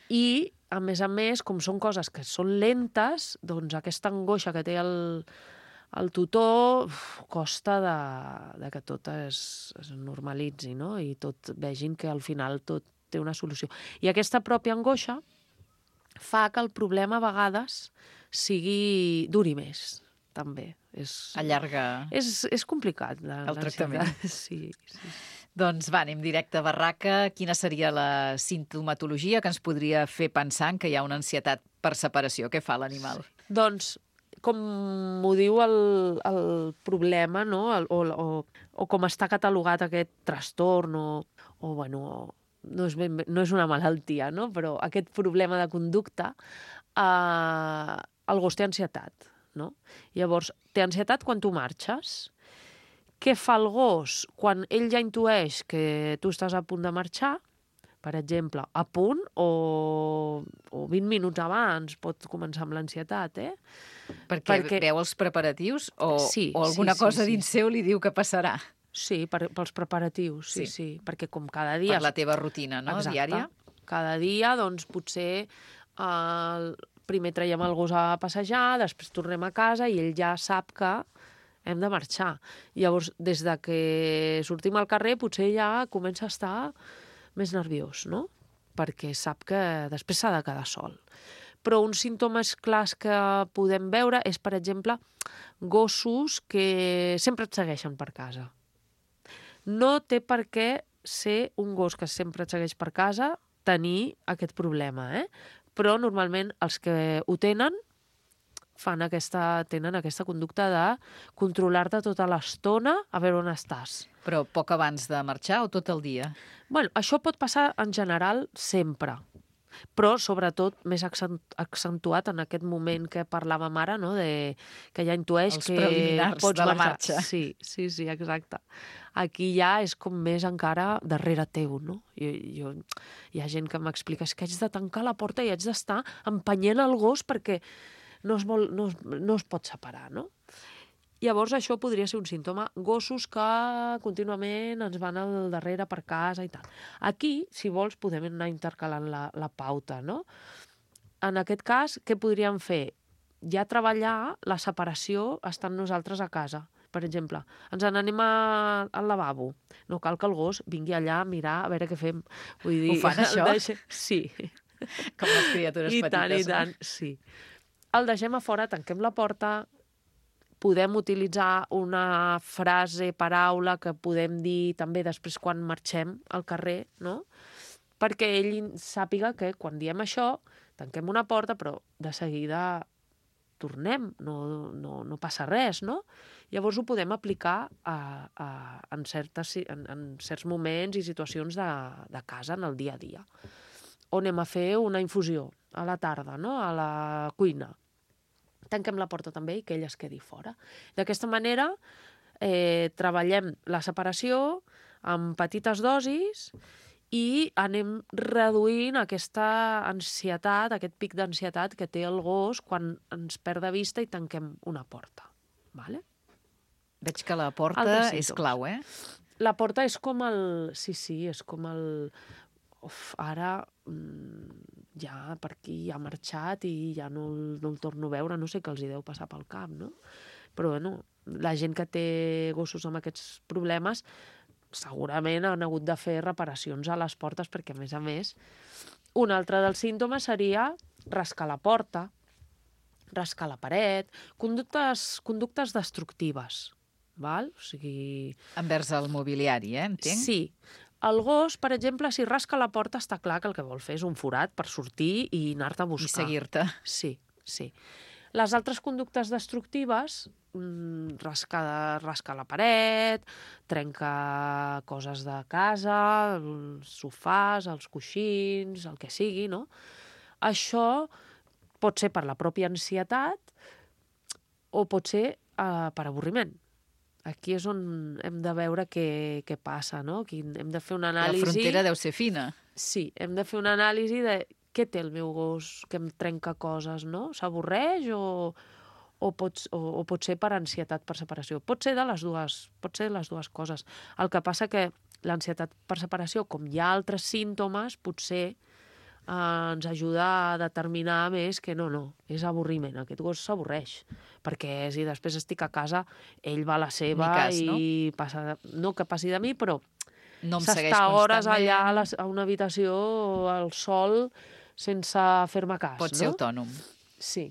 I, a més, com són coses que són lentes, doncs aquesta angoixa que té el tutor costa que tot es normalitzi, no? I tot vegin que al final tot té una solució. I aquesta pròpia angoixa fa que el problema a vegades duri més, també. Allarga... És complicat, el tractament. Sí. Doncs va, anem directe a barraca. Quina seria la sintomatologia que ens podria fer pensar que hi ha una ansietat per separació? Què fa l'animal? Doncs, com ho diu el problema, no? O com està catalogat aquest trastorn, no és una malaltia, no? Però aquest problema de conducta, el gos té ansietat, no? Llavors, té ansietat quan tu marxes. Què fa el gos quan ell ja intueix que tu estàs a punt de marxar? Per exemple, a punt o 20 minuts abans pot començar amb l'ansietat, Perquè veu els preparatius o alguna cosa dins seu li diu que passarà? Sí, pels preparatius, sí. Perquè com cada dia... Per la teva rutina, no? Exacte. Diària? Cada dia, doncs, potser primer traiem el gos a passejar, després tornem a casa i ell ja sap que hem de marxar. Llavors, des de que sortim al carrer, potser ja comença a estar més nerviós, no? Perquè sap que després s'ha de quedar sol. Però uns símptomes clars que podem veure és, per exemple, gossos que sempre et segueixen per casa. No té per què ser un gos que sempre et segueix per casa tenir aquest problema, Però normalment els que ho tenen tenen aquesta conducta de controlar-te tota l'estona a veure on estàs. Però poc abans de marxar o tot el dia? Bueno, això pot passar en general sempre, però sobretot més accentuat en aquest moment que parlàvem ara, no? Que ja intueix els que preliminars pots de la marxar. marxa. Sí, exacte. Aquí ja és com més encara darrere teu, no? Hi ha gent que m'explica que haig de tancar la porta i haig d'estar empenyent el gos perquè no es pot separar, no? Llavors això podria ser un símptoma. Gossos que contínuament ens van al darrere per casa i tal. Aquí, si vols, podem anar intercalant la pauta, no? En aquest cas, què podríem fer? Ja treballar la separació estant nosaltres a casa. Per exemple, ens n'anem al lavabo. No cal que el gos vingui allà a mirar a veure què fem. Vull dir, ho fan, això? Sí. Com les criatures petites. I tant, sí. El deixem a fora, tanquem la porta, podem utilitzar una frase, paraula, que podem dir també després quan marxem al carrer, no? Perquè ell sàpiga que quan diem això, tanquem una porta, però de seguida tornem, no passa res, no? Llavors ho podem aplicar en certs moments i situacions de casa, en el dia a dia. O anem a fer una infusió a la tarda, no? A la cuina. Tanquem la porta també i que ell es quedi fora. D'aquesta manera treballem la separació amb petites dosis i anem reduint aquesta ansietat, aquest pic d'ansietat que té el gos quan ens perd de vista i tanquem una porta. Vale? Veig que la porta és clau, La porta és com el... Sí, és com el... Ara ja per aquí ha marxat i ja no el torno a veure, no sé què els hi deu passar pel cap, no? Però, bueno, la gent que té gossos amb aquests problemes segurament han hagut de fer reparacions a les portes perquè, a més, un altre dels símptomes seria rascar la porta, rascar la paret, conductes destructives, val? O sigui... Envers el mobiliari, entenc? Sí. El gos, per exemple, si rasca la porta, està clar que el que vol fer és un forat per sortir i anar-te a buscar. I seguir-te. Sí. Les altres conductes destructives, rascar la paret, trencar coses de casa, els sofàs, els coixins, el que sigui, no? Això pot ser per la pròpia ansietat o pot ser per avorriment. Aquí és on hem de veure què passa, no? Aquí hem de fer una anàlisi... La frontera deu ser fina. Sí, hem de fer una anàlisi de què té el meu gos que em trenca coses, no? S'avorreix o pot ser per ansietat per separació. Pot ser les dues coses. El que passa que l'ansietat per separació, com hi ha altres símptomes, potser ens ajuda a determinar més que no, és avorriment. Aquest gos s'avorreix, perquè si després estic a casa, ell va a la seva i passa, no que passi de mi, però s'està hores allà a una habitació al sol sense fer-me cas. Pot ser autònom. Sí.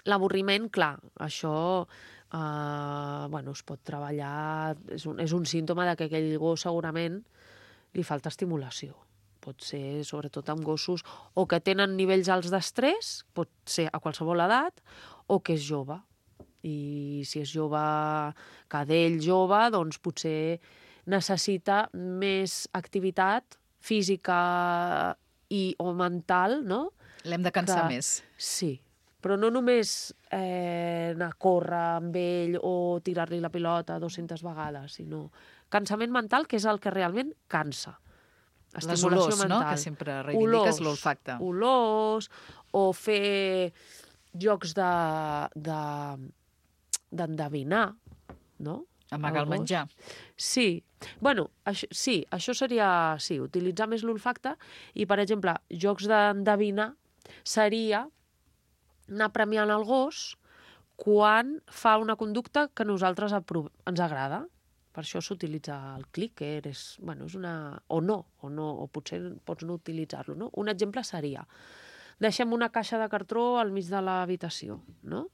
L'avorriment, clar, això es pot treballar, és un símptoma que aquell gos segurament li falta estimulació. Pot ser, sobretot amb gossos, o que tenen nivells alts d'estrès, pot ser a qualsevol edat, o que és jove. I si és jove, cadell jove, doncs potser necessita més activitat física o mental, no? L'hem de cansar més. Sí, però no només anar a córrer amb ell o tirar-li la pilota 200 vegades, sinó cansament mental, que és el que realment cansa. Les olors, no?, que sempre reivindiques, l'olfacte. Olors, o fer jocs d'endevinar, no? Amagar el menjar. Sí. Bueno, això seria utilitzar més l'olfacte i, per exemple, jocs d'endevinar seria anar premiant el gos quan fa una conducta que a nosaltres ens agrada. Per això s'utilitza el clicker, és una... o potser pots no utilitzar-lo, no? Un exemple seria, deixem una caixa de cartró al mig de l'habitació, no?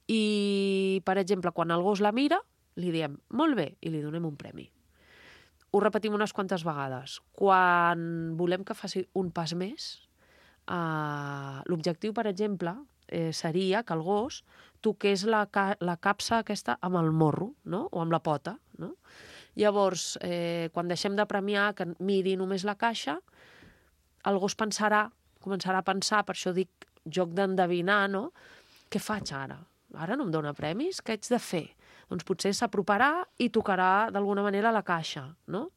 I, per exemple, quan el gos la mira, li diem, molt bé, i li donem un premi. Ho repetim unes quantes vegades. Quan volem que faci un pas més, l'objectiu, per exemple, seria que el gos toqués la capsa aquesta amb el morro, no? O amb la pota, no? Llavors, quan deixem de premiar que miri només la caixa, el gos començarà a pensar, per això dic joc d'endevinar, no? Què faig ara? Ara no em dona premis? Què haig de fer? Doncs potser s'aproparà i tocarà d'alguna manera la caixa, no?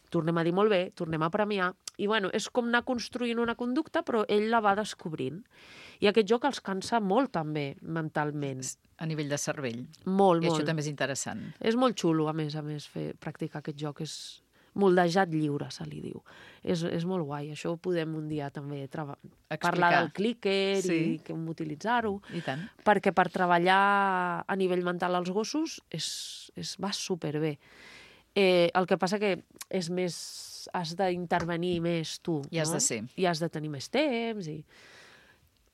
Tornem a dir molt bé, tornem a premiar. I és com anar construint una conducta, però ell la va descobrint. I aquest joc els cansa molt també, mentalment. A nivell de cervell. Molt, molt. I això també és interessant. És molt xulo, a més, practicar aquest joc. És moldejat lliure, se li diu. És molt guai. Això ho podem un dia també parlar del clicker i com utilitzar-ho. I tant. Perquè per treballar a nivell mental als gossos va superbé. El que passa que és més... has d'intervenir més tu. I has de ser. I has de tenir més temps. I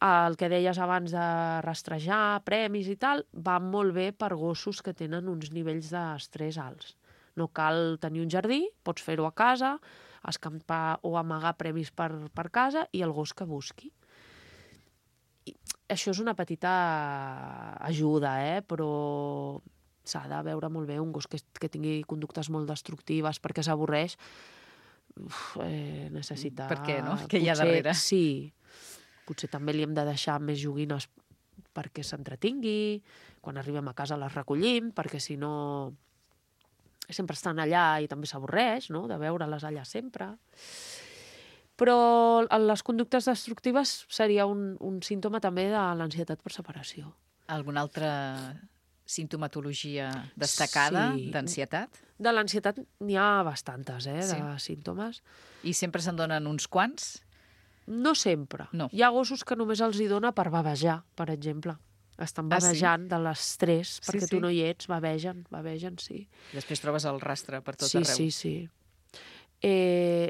el que deies abans de rastrejar, premis i tal, va molt bé per gossos que tenen uns nivells d'estrès alts. No cal tenir un jardí, pots fer-ho a casa, escampar o amagar premis per casa i el gos que busqui. Això és una petita ajuda, però s'ha de veure molt bé un gos que tingui conductes molt destructives perquè s'avorreix, necessita... Per què, no? Què hi ha darrere? Sí. Potser també li hem de deixar més joguines perquè s'entretingui, quan arribem a casa les recollim, perquè si no sempre estan allà i també s'avorreix, no?, de veure-les allà sempre. Però les conductes destructives seria un símptoma també de l'ansietat per separació. Alguna altra simptomatologia destacada d'ansietat? De l'ansietat n'hi ha bastantes, de símptomes. I sempre se'n donen uns quants? No sempre. No. Hi ha gossos que només els hi dona per bavejar, per exemple. Estan bavejant de l'estrès, perquè tu no hi ets, bavegen, sí. Després trobes el rastre per tot arreu. Sí.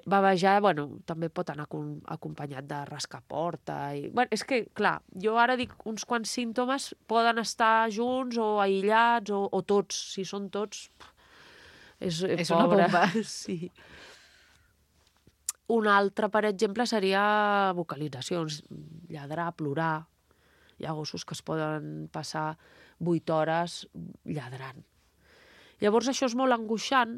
Bavejar, també pot anar acompanyat de rascar porta. És que, clar, jo ara dic uns quants símptomes poden estar junts o aïllats o tots. Si són tots, és una bomba. Sí. Un altre, per exemple, seria vocalitzacions, lladrar, plorar. Hi ha gossos que es poden passar 8 hores lladrant. Llavors això és molt angoixant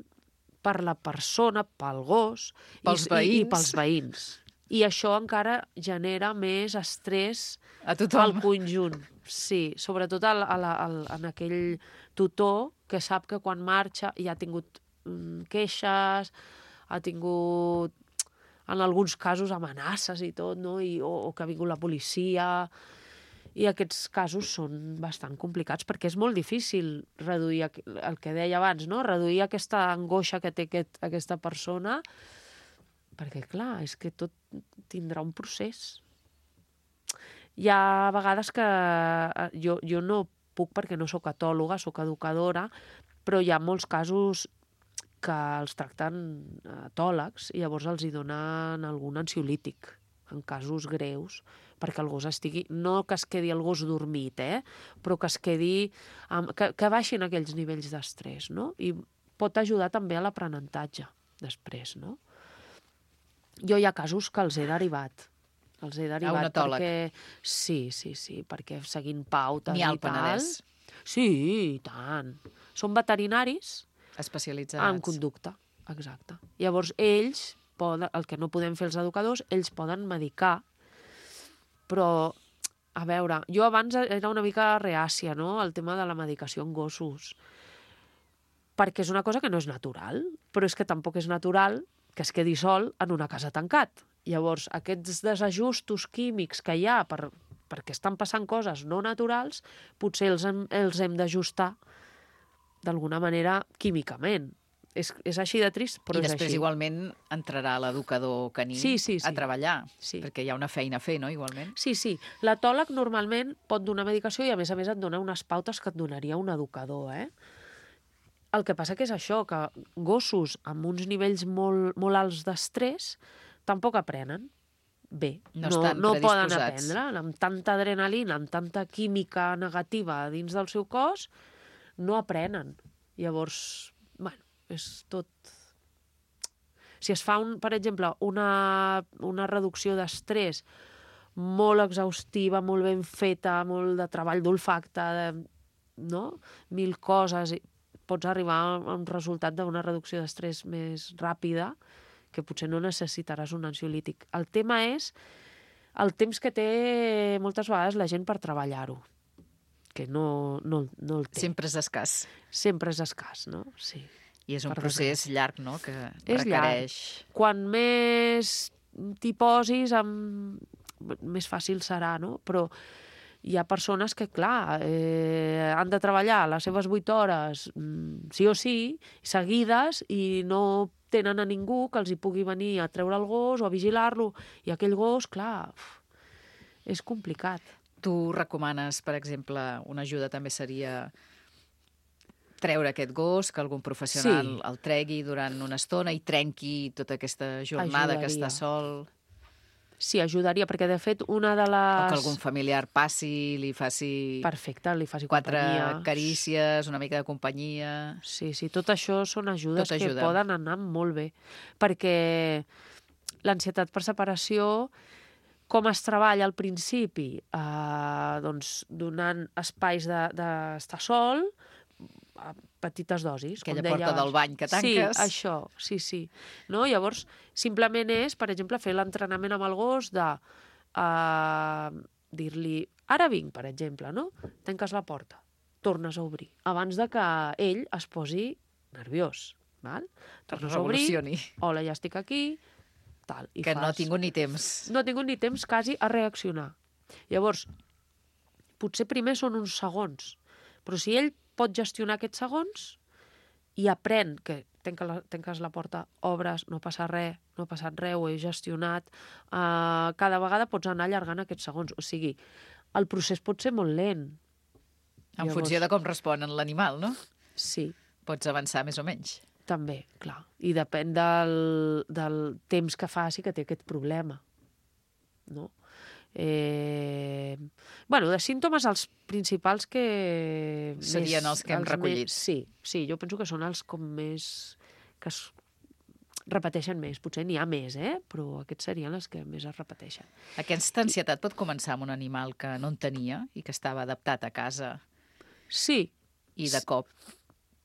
per la persona, pel gos i pels veïns. I això encara genera més estrès al conjunt. Sí, sobretot en aquell tutor que sap que quan marxa ja ha tingut queixes, ha tingut, en alguns casos, amenaces i tot, no? O que ha vingut la policia. I aquests casos són bastant complicats perquè és molt difícil reduir el que deia abans, no? Reduir aquesta angoixa que té aquesta persona, perquè, clar, és que tot tindrà un procés. Hi ha vegades que jo no puc perquè no sóc etòloga, sóc educadora, però hi ha molts casos que els tracten etòlegs i llavors els hi donen algun ansiolític en casos greus, perquè el gos estigui... No que es quedi el gos dormit, però que es quedi... que baixin aquells nivells d'estrès, no? I pot ajudar també a l'aprenentatge després, no? Jo hi ha casos que els he derivat. A un etòleg? Sí, perquè seguint pautes i tal... N'hi ha al Penedès? Sí, i tant. Són veterinaris especialitzats en conducta, exacte. Llavors, ells el que no podem fer els educadors, ells poden medicar, però, a veure, jo abans era una mica reàcia, no?, al tema de la medicació en gossos, perquè és una cosa que no és natural, però és que tampoc és natural que es quedi sol en una casa tancat. Llavors, aquests desajustos químics que hi ha per perquè estan passant coses no naturals, potser els hem d'ajustar d'alguna manera químicament. És així de trist, però és així. I després igualment entrarà l'educador caní a treballar, perquè hi ha una feina a fer, no?, igualment. Sí. L'etòleg normalment pot donar medicació i a més et dona unes pautes que et donaria un educador, El que passa que és això, que gossos amb uns nivells molt alts d'estrès tampoc aprenen bé. No poden aprendre. Amb tanta adrenalina, amb tanta química negativa dins del seu cos, no aprenen. Llavors, és tot... Si es fa, per exemple, una reducció d'estrès molt exhaustiva, molt ben feta, molt de treball d'olfacte, no? 1000 coses, pots arribar a un resultat d'una reducció d'estrès més ràpida, que potser no necessitaràs un ansiolític. El tema és el temps que té moltes vegades la gent per treballar-ho, que no el té. Sempre és escàs. Sempre és escàs, no? Sí. I és un procés llarg, no?, que requereix... Quan més t'hi posis, més fàcil serà, no? Però hi ha persones que, clar, han de treballar les seves 8 hores, sí o sí, seguides, i no tenen a ningú que els hi pugui venir a treure el gos o a vigilar-lo. I aquell gos, clar, és complicat. Tu recomanes, per exemple, una ajuda també seria treure aquest gos, que algun professional el tregui durant una estona i trenqui tota aquesta jornada que està sol... Sí, ajudaria, perquè de fet una de les... O que algun familiar passi, li faci... Perfecte, li faci 4 companyia. carícies, una mica de companyia... Sí, tot això són ajudes que poden anar molt bé, perquè l'ansietat per separació, com es treballa al principi? Doncs donant espais d'estar sol, a petites dosis. Aquella porta del bany que tanques. Sí, això, sí. No? Llavors, simplement és, per exemple, fer l'entrenament amb el gos de dir-li, ara vinc, per exemple, no? Tanques la porta, tornes a obrir, abans de que ell es posi nerviós. Val? Tornes a obrir, hola, ja estic aquí, tal. I que no ha tingut ni temps. No ha tingut ni temps quasi a reaccionar. Llavors, potser primer són uns segons, però si ell pot gestionar aquests segons i aprèn que tanques la porta, obres, no passa res, no ha passat res, ho he gestionat, cada vegada pots anar allargant aquests segons. O sigui, el procés pot ser molt lent. En funció de com respon l'animal, no? Sí. Pots avançar més o menys. També, clar. I depèn del temps que faci que té aquest problema. No? De símptomes, els principals que... Serien els que hem recollit. Sí, jo penso que són els com més... que es repeteixen més. Potser n'hi ha més, però aquests serien els que més es repeteixen. Aquesta ansietat pot començar amb un animal que no en tenia i que estava adaptat a casa. Sí. I de cop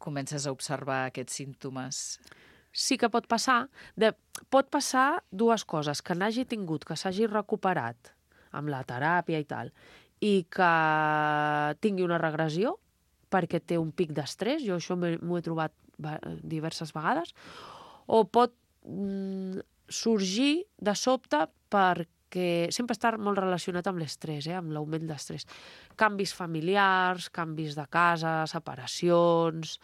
comences a observar aquests símptomes. Sí que pot passar. Pot passar dues coses, que n'hagi tingut, que s'hagi recuperat amb la teràpia i tal, i que tingui una regressió perquè té un pic d'estrès, jo això m'ho he trobat diverses vegades, o pot sorgir de sobte perquè sempre està molt relacionat amb l'estrès, amb l'augment d'estrès. Canvis familiars, canvis de casa, separacions,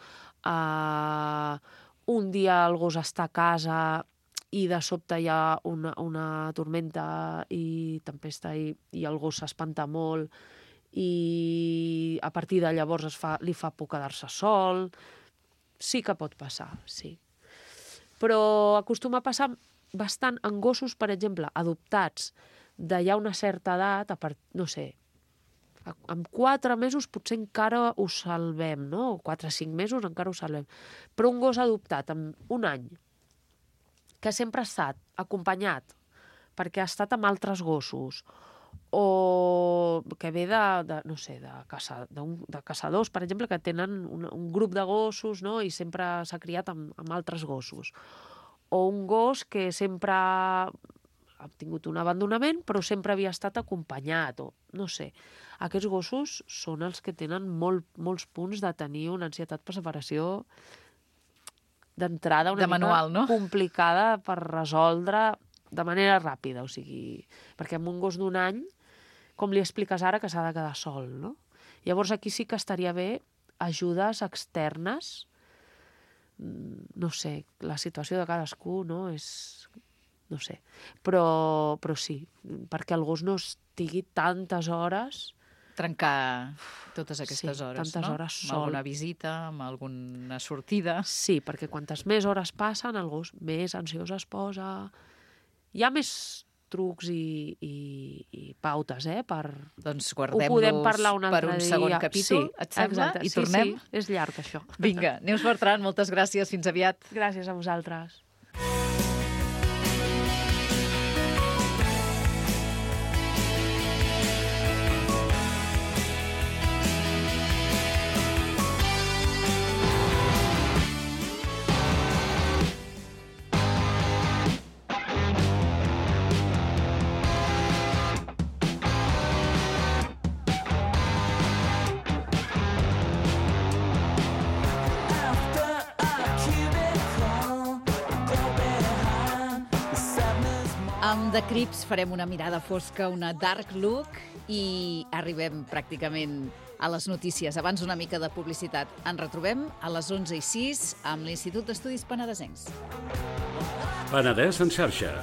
un dia el gos està a casa i de sobte hi ha una tormenta i tempesta i el gos s'espanta molt i a partir de llavors li fa por quedar-se sol. Sí que pot passar, sí. Però acostuma a passar bastant en gossos, per exemple, adoptats de ja una certa edat, no sé, amb 4 mesos potser encara ho salvem, no? O 4 o 5 mesos encara ho salvem. Però un gos adoptat amb un any, que sempre ha estat acompanyat perquè ha estat amb altres gossos o que ve de caçadors, per exemple, que tenen un grup de gossos, no? I sempre s'ha criat amb altres gossos. O un gos que sempre ha tingut un abandonament però sempre havia estat acompanyat, o no sé. Aquests gossos són els que tenen molts punts de tenir una ansietat per separació d'entrada una mica complicada per resoldre de manera ràpida, o sigui, perquè amb un gos d'un any, com li expliques ara que s'ha de quedar sol, no? Llavors aquí sí que estaria bé ajudes externes, no sé, la situació de cadascú, no? No sé, però sí, perquè el gos no estigui tantes hores... Trencar totes aquestes hores, tantes no? hores sol. Amb alguna visita, amb alguna sortida. Sí, perquè quantes més hores passen, el gos més ansiós es posa. Hi ha més trucs i pautes, Doncs ho podem parlar un altre per un dia. segon capítol, et sembla? Exacte. I tornem? Sí, és llarg, això. Vinga, Neus Bertran, moltes gràcies, fins aviat. Gràcies a vosaltres. Amb The Crips farem una mirada fosca, una dark look, i arribem pràcticament a les notícies. Abans una mica de publicitat. Ens retrobem a les 11:06 amb l'Institut d'Estudis Penedesencs. Penedès en xarxa.